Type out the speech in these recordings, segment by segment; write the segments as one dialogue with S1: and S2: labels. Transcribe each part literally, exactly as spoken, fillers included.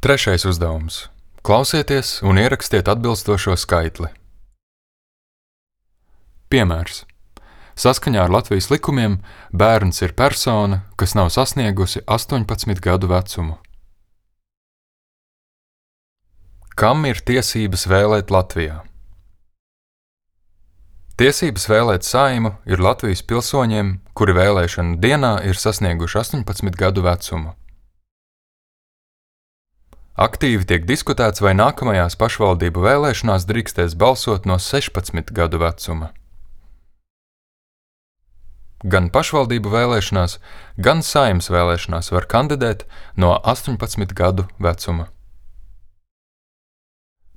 S1: Trešais uzdevums. Klausieties un ierakstiet atbilstošo skaitli. Piemērs. Saskaņā ar Latvijas likumiem bērns ir persona, kas nav sasniegusi astoņpadsmit gadu vecumu. Kam ir tiesības vēlēt Latvijā? Tiesības vēlēt Saeimu ir Latvijas pilsoņiem, kuri vēlēšanu dienā ir sasnieguši astoņpadsmit gadu vecumu. Aktīvi tiek diskutēts, vai nākamajās pašvaldību vēlēšanās drīkstēs balsot no sešpadsmit gadu vecuma. Gan pašvaldību vēlēšanās, gan Saeimas vēlēšanās var kandidēt no astoņpadsmit gadu vecuma.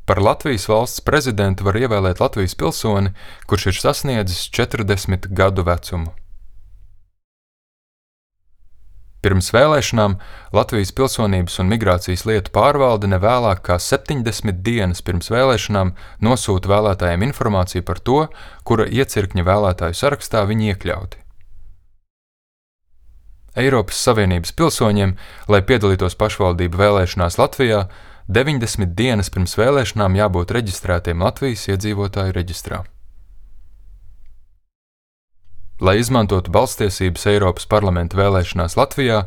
S1: Par Latvijas valsts prezidentu var ievēlēt Latvijas pilsoni, kurš ir sasniedzis četrdesmit gadu vecumu. Pirms vēlēšanām Latvijas pilsonības un migrācijas lietu pārvalde nevēlāk kā septiņdesmit dienas pirms vēlēšanām nosūta vēlētājiem informāciju par to, kura iecirkņa vēlētāju sarakstā viņi iekļauti. Eiropas Savienības pilsoņiem, lai piedalītos pašvaldību vēlēšanās Latvijā, deviņdesmit dienas pirms vēlēšanām jābūt reģistrētiem Latvijas iedzīvotāju reģistrā. Lai izmantotu balsstiesības Eiropas parlamenta vēlēšanās Latvijā,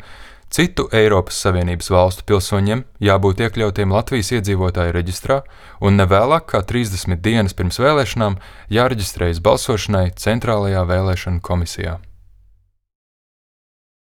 S1: citu Eiropas Savienības valstu pilsoņiem jābūt iekļautiem Latvijas iedzīvotāju reģistrā un nevēlāk kā trīsdesmit dienas pirms vēlēšanām jāreģistrējas balsošanai Centrālajā vēlēšanu komisijā.